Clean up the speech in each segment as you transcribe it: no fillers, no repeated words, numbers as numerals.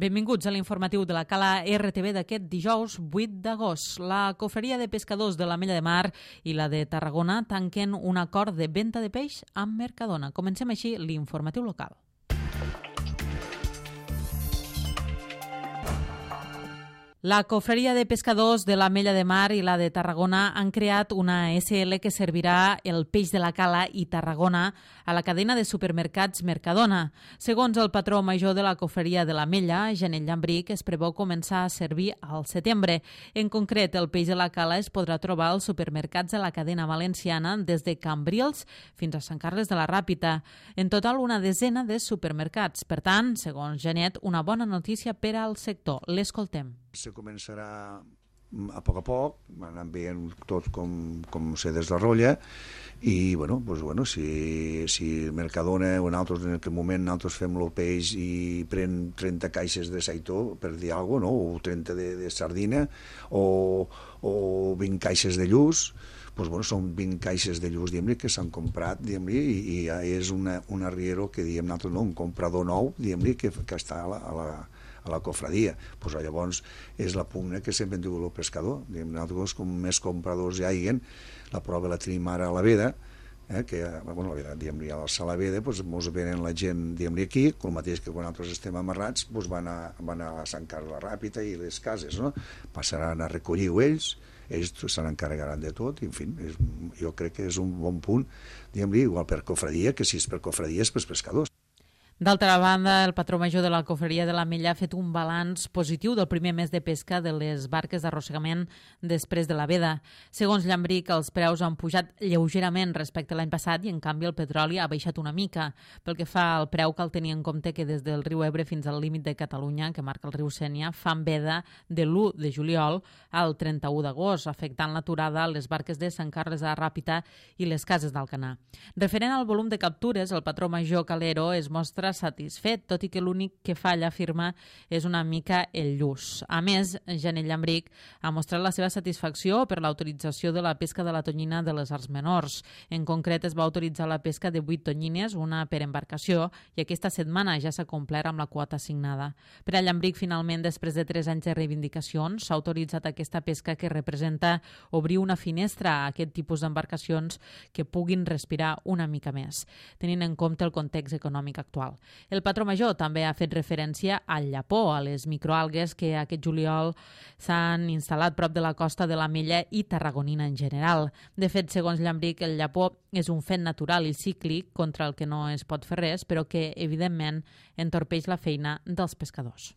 Benvinguts a l'informatiu de la Cala RTV d'aquest dijous 8 d'agost. La Cofreria de Pescadors de l'Ametlla de Mar i la de Tarragona tanquen un acord de venda de peix amb Mercadona. Comencem així l'informatiu local. La Cofreria de Pescadors de l'Ametlla de Mar i la de Tarragona han creat una SL que servirà el peix de la Cala i Tarragona a la cadena de supermercats Mercadona. Segons el patró major de la Cofreria de l'Ametlla, Janel Llambric, es preveu començar a servir al setembre. En concret, el peix de la Cala es podrà trobar als supermercats de la cadena valenciana des de Cambrils fins a Sant Carles de la Ràpita. En total, una desena de supermercats. Per tant, segons Janet, una bona notícia per al sector. L'escoltem. Se començarà a poc, anant veient tot com se desarrolla i si Mercadona o nosaltres en aquell moment nosaltres fem el peix i pren 30 caixes de saitó, per dir alguna cosa, o 30 de sardina o 20 caixes de lluç, són 20 caixes de lluç que s'han comprat i ja és un arriero que nosaltres, un comprador nou que està a la cofradia. Llavors és la pugna que sempre hem tingut el pescador. Nosaltres, com més compradors hi hagi, la prova la tenim ara a la Veda, que a la Sala Veda ens venen la gent aquí, el mateix que quan nosaltres estem amarrats van a Sant Carles de la Ràpita i les cases, passaran a recollir-ho ells se n'encarregaran de tot, i en fi, jo crec que és un bon punt, igual per cofradia, que si és per cofradia és per pescadors. D'altra banda, el patró major de la Cofreria de l'Ametlla ha fet un balanç positiu del primer mes de pesca de les barques d'arrossegament després de la veda. Segons Llambric, els preus han pujat lleugerament respecte a l'any passat i, en canvi, el petroli ha baixat una mica. Pel que fa al preu, cal tenir en compte que des del riu Ebre fins al límit de Catalunya, que marca el riu Sénia, fan veda de l'1 de juliol al 31 d'agost, afectant l'aturada a les barques de Sant Carles de la Ràpita i les cases d'Alcanar. Referent al volum de captures, el patró major Calero es mostra satisfet, tot i que l'únic que falla, afirma, és una mica el lluç. A més, Janel Llambric ha mostrat la seva satisfacció per l'autorització de la pesca de la tonyina de les arts menors. En concret, es va autoritzar la pesca de 8 tonyines, una per embarcació, i aquesta setmana ja s'ha complert amb la quota assignada. Per a Llambric, finalment, després de 3 anys de reivindicacions, s'ha autoritzat aquesta pesca que representa obrir una finestra a aquest tipus d'embarcacions que puguin respirar una mica més, tenint en compte el context econòmic actual. El patró major també ha fet referència al llapó, a les microalgues que aquest juliol s'han instal·lat prop de la costa de l'Ametlla i tarragonina en general. De fet, segons Llambric, el llapó és un fet natural i cíclic contra el que no es pot fer res, però que, evidentment, entorpeix la feina dels pescadors.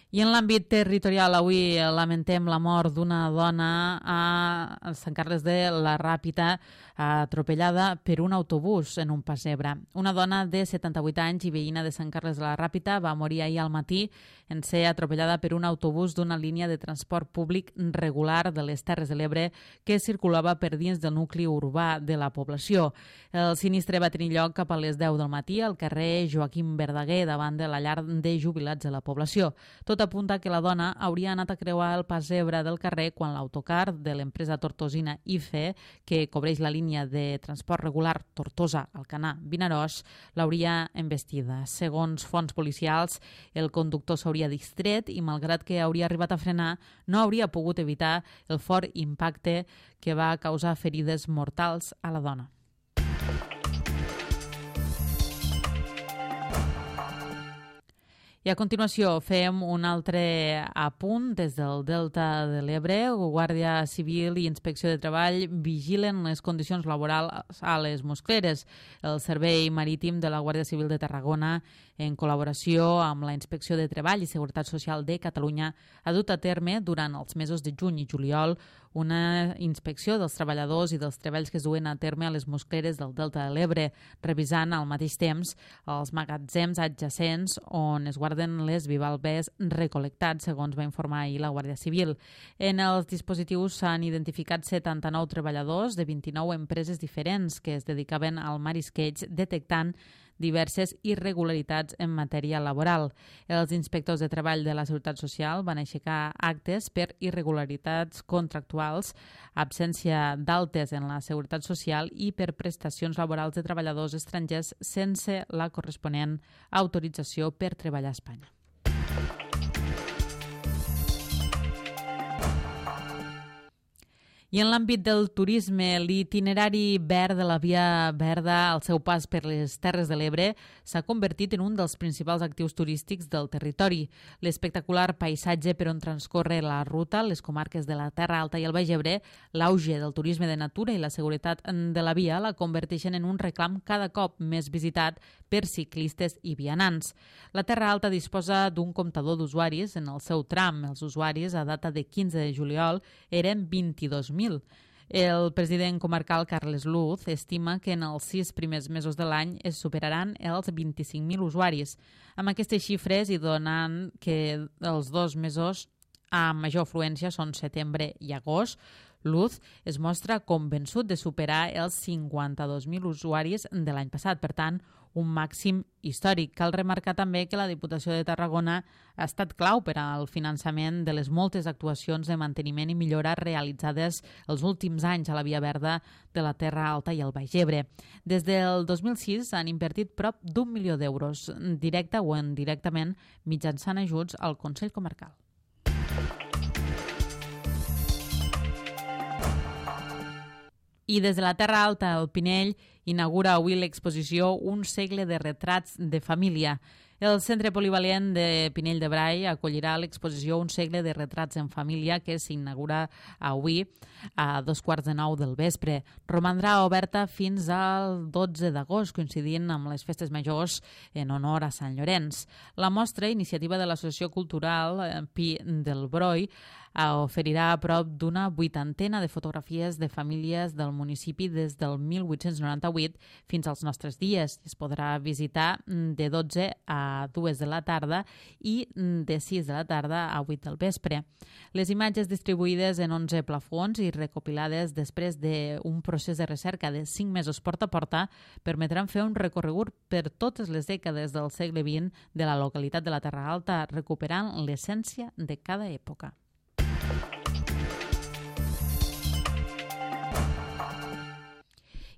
I en l'àmbit territorial, avui lamentem la mort d'una dona a Sant Carles de la Ràpita, atropellada per un autobús en un pessebre. Una dona de 78 anys i veïna de Sant Carles de la Ràpita va morir ahir al matí en ser atropellada per un autobús d'una línia de transport públic regular de les Terres de l'Ebre que circulava per dins del nucli urbà de la població. El sinistre va tenir lloc cap a les 10 del matí al carrer Joaquim Verdaguer, davant de la llar de jubilats de la població. Tot apunta que la dona hauria anat a creuar el pessebre del carrer quan l'autocar de l'empresa tortosina IFE, que cobreix la línia de transport regular Tortosa-Alcanar-Vinaròs, l'hauria embestida. Segons fonts policials, el conductor s'hauria distret i, malgrat que hauria arribat a frenar, no hauria pogut evitar el fort impacte que va causar ferides mortals a la dona. I a continuació fem un altre apunt des del Delta de l'Ebre. Guàrdia Civil i Inspecció de Treball vigilen les condicions laborals a les mosqueres. El Servei Marítim de la Guàrdia Civil de Tarragona, en col·laboració amb la Inspecció de Treball i Seguretat Social de Catalunya, ha dut a terme durant els mesos de juny i juliol una inspecció dels treballadors i dels treballs que es duen a terme a les mosqueres del Delta de l'Ebre, revisant al mateix temps els magatzems adjacents on es guarden les bivalves recol·lectats, segons va informar ahir la Guàrdia Civil. En els dispositius s'han identificat 79 treballadors de 29 empreses diferents que es dedicaven al marisqueig, detectant diverses irregularitats en matèria laboral. Els inspectors de treball de la Seguretat Social van aixecar actes per irregularitats contractuals, absència d'altes en la Seguretat Social i per prestacions laborals de treballadors estrangers sense la corresponent autorització per treballar a Espanya. I en l'àmbit del turisme, l'itinerari verd de la Via Verda al seu pas per les Terres de l'Ebre s'ha convertit en un dels principals actius turístics del territori. L'espectacular paisatge per on transcorre la ruta, les comarques de la Terra Alta i el Baix Ebre, l'auge del turisme de natura i la seguretat de la via la converteixen en un reclam cada cop més visitat per ciclistes i vianants. La Terra Alta disposa d'un comptador d'usuaris en el seu tram. Els usuaris, a data de 15 de juliol, eren 22.000. El president comarcal Carles Luz estima que en els 6 primers mesos de l'any es superaran els 25.000 usuaris. Amb aquestes xifres i donant que els 2 mesos amb major afluència són setembre i agost, Luz es mostra convençut de superar els 52.000 usuaris de l'any passat, per tant, un màxim històric. Cal remarcar també que la Diputació de Tarragona ha estat clau per al finançament de les moltes actuacions de manteniment i millora realitzades els últims anys a la Via Verda de la Terra Alta i el Baix Ebre. Des del 2006 han invertit prop d'1 milió d'euros, directe o indirectament, mitjançant ajuts al Consell Comarcal. I des de la Terra Alta, el Pinell inaugura avui l'exposició Un segle de retrats de família. El Centre Polivalent de Pinell de Brai acollirà l'exposició Un segle de retrats en família que s'inaugura avui a 8:45 del vespre. Romandrà oberta fins al 12 d'agost, coincidint amb les festes majors en honor a Sant Llorenç. La mostra, iniciativa de l'Associació Cultural Pi del Broi, oferirà a prop d'una 80 de fotografies de famílies del municipi des del 1898 fins als nostres dies. Es podrà visitar de 12 a 2 de la tarda i de 6 de la tarda a 8 del vespre. Les imatges distribuïdes en 11 plafons i recopilades després d'un procés de recerca de 5 mesos porta a porta permetran fer un recorregut per totes les dècades del segle XX de la localitat de la Terra Alta, recuperant l'essència de cada època.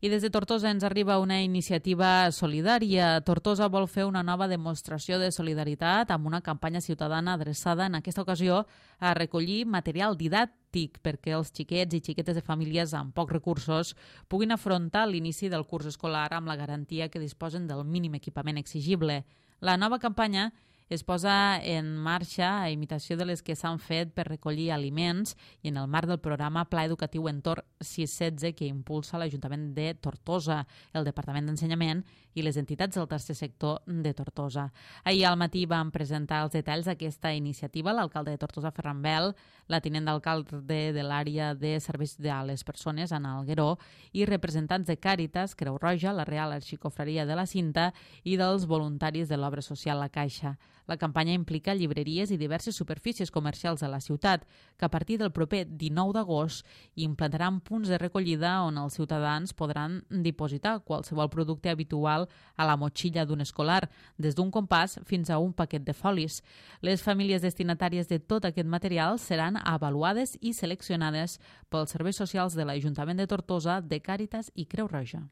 I des de Tortosa ens arriba una iniciativa solidària. Tortosa vol fer una nova demostració de solidaritat amb una campanya ciutadana adreçada en aquesta ocasió a recollir material didàctic perquè els xiquets i xiquetes de famílies amb pocs recursos puguin afrontar l'inici del curs escolar amb la garantia que disposen del mínim equipament exigible. La nova campanya es posa en marxa a imitació de les que s'han fet per recollir aliments i en el marc del programa Pla Educatiu Entorn 616 que impulsa l'Ajuntament de Tortosa, el Departament d'Ensenyament i les entitats del tercer sector de Tortosa. Ahir al matí van presentar els detalls d'aquesta iniciativa l'alcalde de Tortosa, Ferran Bel, la tinent d'alcalde de l'àrea de serveis a les persones, Anna Algueró, i representants de Càritas, Creu Roja, la Real Arxicofreria de la Cinta i dels voluntaris de l'obra social La Caixa. La campanya implica llibreries i diverses superfícies comercials de la ciutat, que a partir del proper 19 d'agost implantaran punts de recollida on els ciutadans podran dipositar qualsevol producte habitual a la motxilla d'un escolar, des d'un compàs fins a un paquet de folis. Les famílies destinatàries de tot aquest material seran avaluades i seleccionades pels serveis socials de l'Ajuntament de Tortosa, de Càritas i Creu Roja.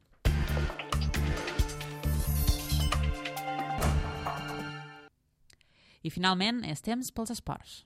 I finalment, és temps pels esports.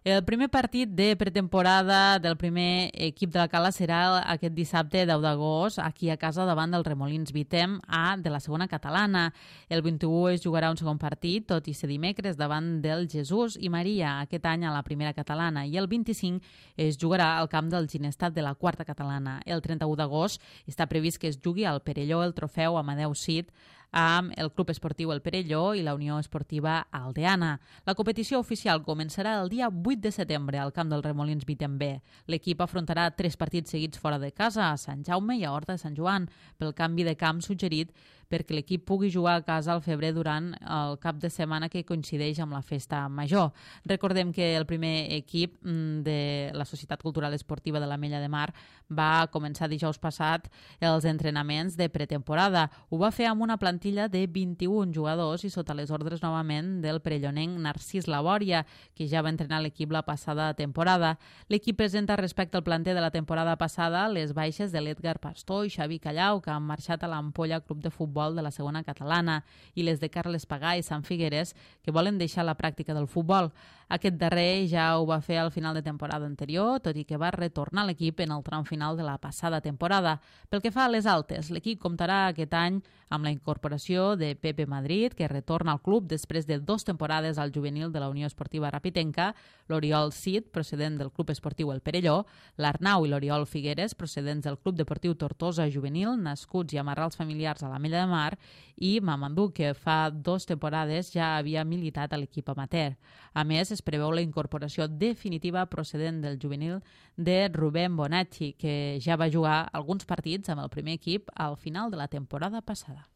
El primer partit de pretemporada del primer equip de la Cala serà aquest dissabte 10 d'agost aquí a casa davant del Remolins Vitem A de la segona catalana. El 21 es jugarà un segon partit, tot i ser dimecres, davant del Jesús i Maria aquest any a la primera catalana, i el 25 es jugarà al camp del Ginestat de la quarta catalana. El 31 d'agost està previst que es jugui al Perelló el trofeu Amadeu Cid amb el Club Esportiu El Perelló i la Unió Esportiva Aldeana. La competició oficial començarà el dia 8 de setembre al camp del Remolins Vitem B. L'equip afrontarà 3 partits seguits fora de casa, a Sant Jaume i a Horta de Sant Joan, pel canvi de camp suggerit perquè l'equip pugui jugar a casa al febrer durant el cap de setmana que coincideix amb la festa major. Recordem que el primer equip de la Societat Cultural Esportiva de l'Ametlla de Mar va començar dijous passat els entrenaments de pretemporada. Ho va fer amb una plantilla de 21 jugadors i sota les ordres novament del perellonenc Narcís Labòria, que ja va entrenar l'equip la passada temporada. L'equip presenta respecte al planter de la temporada passada les baixes de l'Edgar Pastor i Xavi Callau, que han marxat a l'Ampolla Club de Futbol de la segona catalana, i les de Carles Pagà i Sant Figueres, que volen deixar la pràctica del futbol. Aquest darrer ja ho va fer al final de temporada anterior, tot i que va retornar a l'equip en el tram final de la passada temporada. Pel que fa a les altes, l'equip comptarà aquest any amb la incorporació de Pepe Madrid, que retorna al club després de 2 temporades al juvenil de la Unió Esportiva Rapitenca, l'Oriol Cid, procedent del Club Esportiu El Perelló, l'Arnau i l'Oriol Figueres, procedents del Club Deportiu Tortosa Juvenil, nascuts i amarrals familiars a l'Ametlla de Mar, i Mamandú, que fa 2 temporades ja havia militat a l'equip amateur. A més, es preveu la incorporació definitiva procedent del juvenil de Rubén Bonacci, que ja va jugar alguns partits amb el primer equip al final de la temporada passada.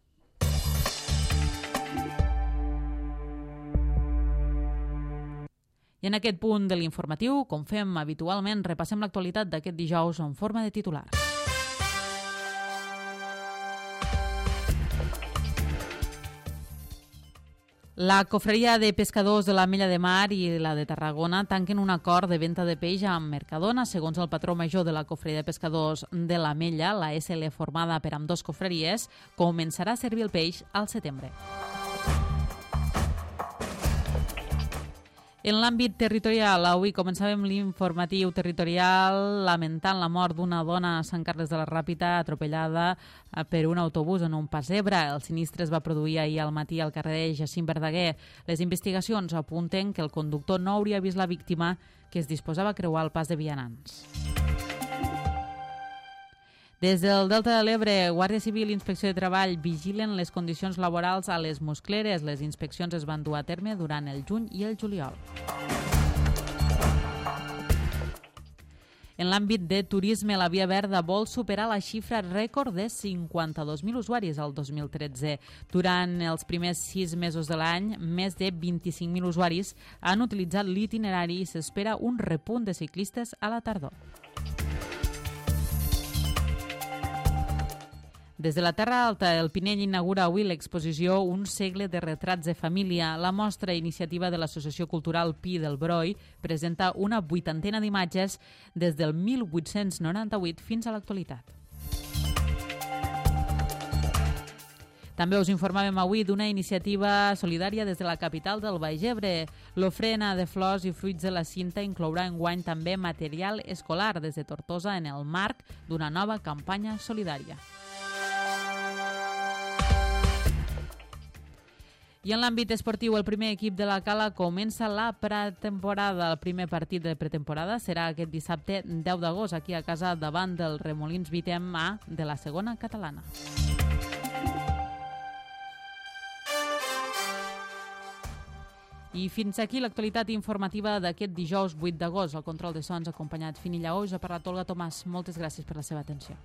I en aquest punt de l'informatiu, com fem habitualment, repassem l'actualitat d'aquest dijous en forma de titulars. La Cofreria de Pescadors de l'Ametlla de Mar i la de Tarragona tanquen un acord de venda de peix amb Mercadona. Segons el patró major de la Cofreria de Pescadors de l'Ametlla, la SL formada per ambdós cofreries, començarà a servir el peix al setembre. En l'àmbit territorial, avui començàvem l'informatiu territorial lamentant la mort d'una dona a Sant Carles de la Ràpita atropellada per un autobús en un pas zebra. El sinistre es va produir ahir al matí al carrer Jacint Verdaguer. Les investigacions apunten que el conductor no hauria vist la víctima, que es disposava a creuar el pas de vianants. Des del Delta de l'Ebre, Guàrdia Civil i Inspecció de Treball vigilen les condicions laborals a les muscleres. Les inspeccions es van dur a terme durant el juny i el juliol. En l'àmbit de turisme, la Via Verda vol superar la xifra rècord de 52.000 usuaris el 2013. Durant els primers 6 mesos de l'any, més de 25.000 usuaris han utilitzat l'itinerari i s'espera un repunt de ciclistes a la tardor. Des de la Terra Alta, el Pinell inaugura avui l'exposició Un segle de retrats de família. La mostra iniciativa de l'Associació Cultural Pi del Broi presenta una 80ena d'imatges des del 1898 fins a l'actualitat. També us informàvem avui d'una iniciativa solidària des de la capital del Baix Ebre. L'ofrena de flors i fruits de la cinta inclourà enguany també material escolar des de Tortosa en el marc d'una nova campanya solidària. I en l'àmbit esportiu, el primer equip de la Cala comença la pretemporada. El primer partit de pretemporada serà aquest dissabte 10 d'agost, aquí a casa davant del Remolins 8è A de la segona catalana. I fins aquí l'actualitat informativa d'aquest dijous 8 d'agost. El control de sons acompanyat Fini Lleó. Us ha parlat Olga Tomàs. Moltes gràcies per la seva atenció.